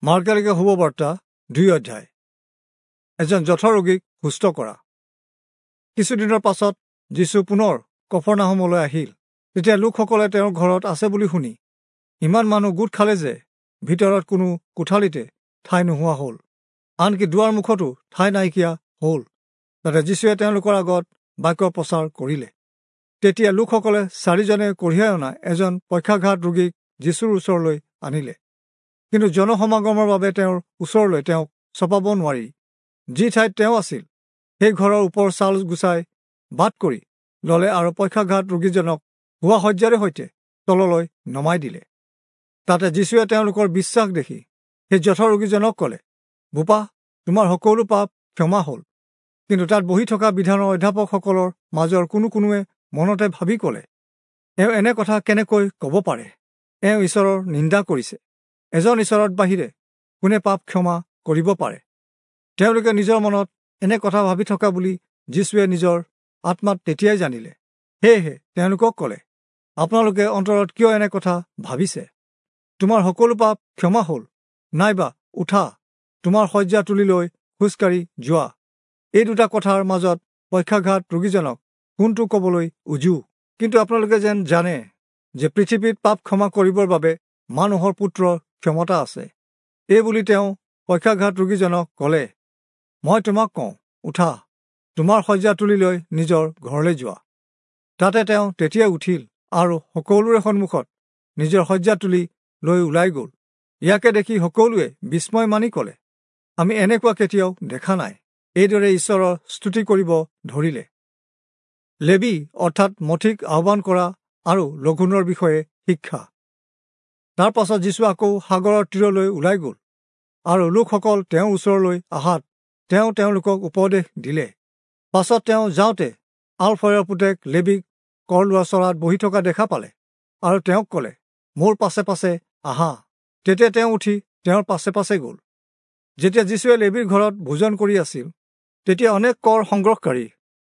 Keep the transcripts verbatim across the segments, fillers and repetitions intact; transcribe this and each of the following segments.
মাৰ্কে শুভবাৰ্তা দুই অধ্যায়। এজন জঠৰ ৰোগীক সুস্থ কৰা। কিছুদিনৰ পাছত যীচু পুনৰ কফৰনাহূমলৈ আহিল। তেতিয়া লোকসকলে তেওঁৰ ঘৰত আছে বুলি শুনি ইমান মানুহ গোট খালে যে ভিতৰত কোনো কোঠালিতে ঠাই নোহোৱা হ'ল, আনকি দুৱাৰ মুখতো ঠাই নাইকিয়া হ'ল। তাতে যীচুৱে তেওঁলোকৰ আগত বাক্য প্ৰচাৰ কৰিলে। তেতিয়া লোকসকলে চাৰিজনে কঢ়িয়াই অনা এজন পক্ষাঘাত ৰোগীক যীচুৰ ওচৰলৈ আনিলে। কিন্তু জনসমাগমৰ বাবে তেওঁৰ ওচৰলৈ তেওঁক চপাব নোৱাৰি যি ঠাইত তেওঁ আছিল সেই ঘৰৰ ওপৰ চাল গুচাই বাট কৰি ললে আৰু পক্ষাঘাত ৰোগীজনক শোৱা শয্যাৰে সৈতে তললৈ নমাই দিলে। তাতে যীচুৱে তেওঁলোকৰ বিশ্বাস দেখি সেই জঠৰ ৰোগীজনক ক'লে, বোপা, তোমাৰ সকলো পাপ ক্ষমা হ'ল। কিন্তু তাত বহি থকা বিধানৰ অধ্যাপকসকলৰ মাজৰ কোনো কোনোৱে মনতে ভাবি ক'লে, এওঁ এনে কথা কেনেকৈ ক'ব পাৰে? এওঁ ঈশ্বৰৰ নিন্দা কৰিছে। এজন ঈশ্বৰৰ বাহিৰে কোনে পাপ ক্ষমা কৰিব পাৰে? তেওঁলোকে নিজৰ মনত এনে কথা ভাবি থকা বুলি যীচুৱে নিজৰ আত্মাত তেতিয়াই জানিলে। সেয়েহে তেওঁলোকক ক'লে, আপোনালোকে অন্তৰত কিয় এনে কথা ভাবিছে? তোমাৰ সকলো পাপ ক্ষমা হ'ল, নাইবা উঠা, তোমাৰ শয্যা তুলি লৈ খোজকাঢ়ি যোৱা, এই দুটা কথাৰ মাজত পক্ষাঘাত ৰোগীজনক কোনটো ক'বলৈ উজু? কিন্তু আপোনালোকে যেন জানে যে পৃথিৱীত পাপ ক্ষমা কৰিবৰ বাবে মানুহৰ পুত্ৰৰ ক্ষমতা আছে। এই বুলি তেওঁ পক্ষাঘাত ৰোগীজনক ক'লে, মই তোমাক কওঁ, উঠা, তোমাৰ শয্যা তুলি লৈ নিজৰ ঘৰলৈ যোৱা। তাতে তেওঁ তেতিয়া উঠিল আৰু সকলোৰে সন্মুখত নিজৰ শয্যা তুলি লৈ ওলাই গ'ল। ইয়াকে দেখি সকলোৱে বিস্ময় মানি ক'লে, আমি এনেকুৱা কেতিয়াও দেখা নাই। এইদৰে ঈশ্বৰৰ স্তুতি কৰিব ধৰিলে। লেবি অৰ্থাৎ মথিক আহ্বান কৰা আৰু লঘোণৰ বিষয়ে শিক্ষা। তাৰ পাছত যীচু আকৌ সাগৰৰ তীৰলৈ ওলাই গ'ল আৰু লোকসকল তেওঁৰ ওচৰলৈ অহাত তেওঁ তেওঁলোকক উপদেশ দিলে। পাছত তেওঁ যাওঁতে আলফয়ৰ পুতেক লেবীক কৰ লোৱা চৰাত বহি থকা দেখা পালে আৰু তেওঁক ক'লে, মোৰ পাছে পাছে আহা। তেতিয়া তেওঁ উঠি তেওঁৰ পাছে পাছে গ'ল। যেতিয়া যীচুৱে লেবীৰ ঘৰত ভোজন কৰি আছিল, তেতিয়া অনেক কৰ সংগ্ৰহকাৰী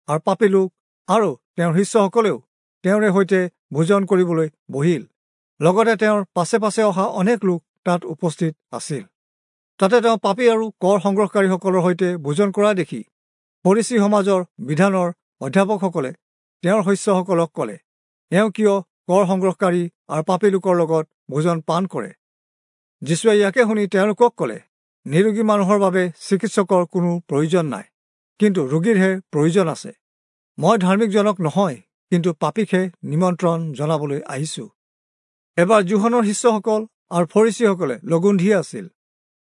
আৰু পাপী লোক আৰু তেওঁৰ শিষ্যসকলেও তেওঁৰে সৈতে ভোজন কৰিবলৈ বহিল। লগতে তেওঁৰ পাছে পাছে অহা অনেক লোক তাত উপস্থিত আছিল। তাতে তেওঁ পাপী আৰু কৰ সংগ্ৰহকাৰীসকলৰ সৈতে ভোজন কৰা দেখি ফৰীচী সমাজৰ বিধানৰ অধ্যাপকসকলে তেওঁৰ শিষ্যসকলক ক'লে, এওঁ কিয় কৰ সংগ্ৰহকাৰী আৰু পাপী লোকৰ লগত ভোজন পান কৰে? যীচুৱে ইয়াকে শুনি তেওঁলোকক ক'লে, নিৰোগী মানুহৰ বাবে চিকিৎসকৰ কোনো প্ৰয়োজন নাই, কিন্তু ৰোগীৰহে প্ৰয়োজন আছে। মই ধাৰ্মিকজনক নহয়, কিন্তু পাপীকহে নিমন্ত্ৰণ জনাবলৈ আহিছো। এবাৰ যোহনৰ শিষ্যসকল আৰু ফৰীচীসকলে লঘোণ দি আছিল।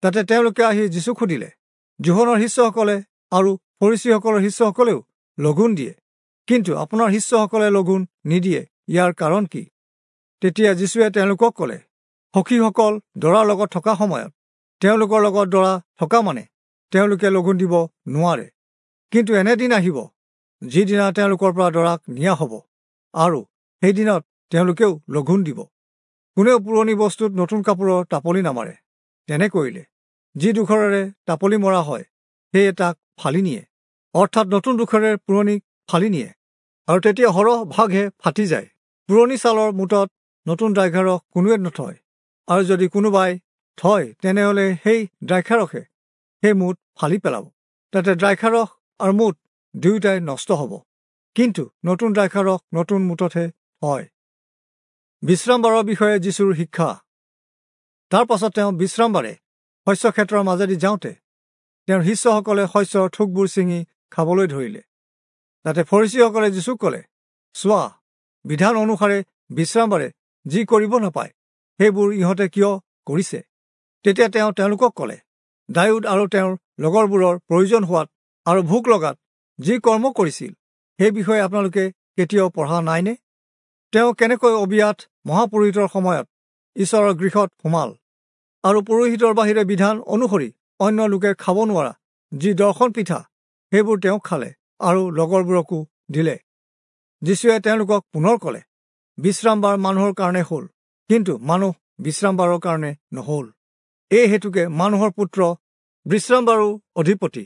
তাতে তেওঁলোকে আহি যীচুক সুধিলে, যোহনৰ শিষ্যসকলে আৰু ফৰীচীসকলৰ শিষ্যসকলেও লঘোণ দিয়ে, কিন্তু আপোনাৰ শিষ্যসকলে লঘোণ নিদিয়ে, ইয়াৰ কাৰণ কি? তেতিয়া যীচুৱে তেওঁলোকক ক'লে, সখীসকল দৰাৰ লগত থকা সময়ত তেওঁলোকৰ লগত দৰা থকা মানে তেওঁলোকে লঘোণ দিব নোৱাৰে। কিন্তু এনে দিন আহিব, যিদিনা তেওঁলোকৰ পৰা দৰাক নিয়া হ'ব, আৰু সেইদিনত তেওঁলোকেও লঘোণ দিব। কোনেও পুৰণি বস্তুত নতুন কাপোৰৰ টাপলি নামাৰে। তেনে কৰিলে যি ডোখৰেৰে টাপলি মৰা হয় সেয়ে তাক ফালি নিয়ে, অৰ্থাৎ নতুন ডোখৰেৰে পুৰণি ফালি নিয়ে, আৰু তেতিয়া সৰহ ভাগহে ফাটি যায়। পুৰণি ছালৰ মোটত নতুন দ্ৰাক্ষাৰস কোনোৱে নথয়, আৰু যদি কোনোবাই থয় তেনেহ'লে সেই দ্ৰাক্ষাৰসে সেই মোট ফালি পেলাব। তাতে দ্ৰাক্ষাৰস আৰু মোট দুয়োটাই নষ্ট হ'ব। কিন্তু নতুন দ্ৰাক্ষাৰস নতুন মোটতহে হয়। বিশ্ৰামবাৰৰ বিষয়ে যীচুৰ শিক্ষা। তাৰ পাছত তেওঁ বিশ্ৰামবাৰে শস্যক্ষেত্ৰৰ মাজেদি যাওঁতে তেওঁৰ শিষ্যসকলে শস্যৰ থোকবোৰ ছিঙি খাবলৈ ধৰিলে। তাতে ফৰীচীসকলে যীচুক ক'লে, চোৱা, বিধান অনুসাৰে বিশ্ৰামবাৰে যি কৰিব নাপায় সেইবোৰ ইহঁতে কিয় কৰিছে? তেতিয়া তেওঁ তেওঁলোকক ক'লে, দায়ূদ আৰু তেওঁৰ লগৰবোৰৰ প্ৰয়োজন হোৱাত আৰু ভোক লগাত যি কৰ্ম কৰিছিল সেই বিষয়ে আপোনালোকে কেতিয়াও পঢ়া নাইনে? তেওঁ কেনেকৈ অবিয়াথ মহাপুৰোহিতৰ সময়ত ঈশ্বৰৰ গৃহত সোমাল আৰু পুৰোহিতৰ বাহিৰে বিধান অনুসৰি অন্য লোকে খাব নোৱাৰা যি দৰ্শন পিঠা সেইবোৰ তেওঁ খালে আৰু লগৰবোৰকো দিলে। যীচুৱে তেওঁলোকক পুনৰ ক'লে, বিশ্ৰামবাৰ মানুহৰ কাৰণে হ'ল, কিন্তু মানুহ বিশ্ৰামবাৰৰ কাৰণে নহ'ল। এই হেতুকে মানুহৰ পুত্ৰ বিশ্ৰামবাৰো অধিপতি।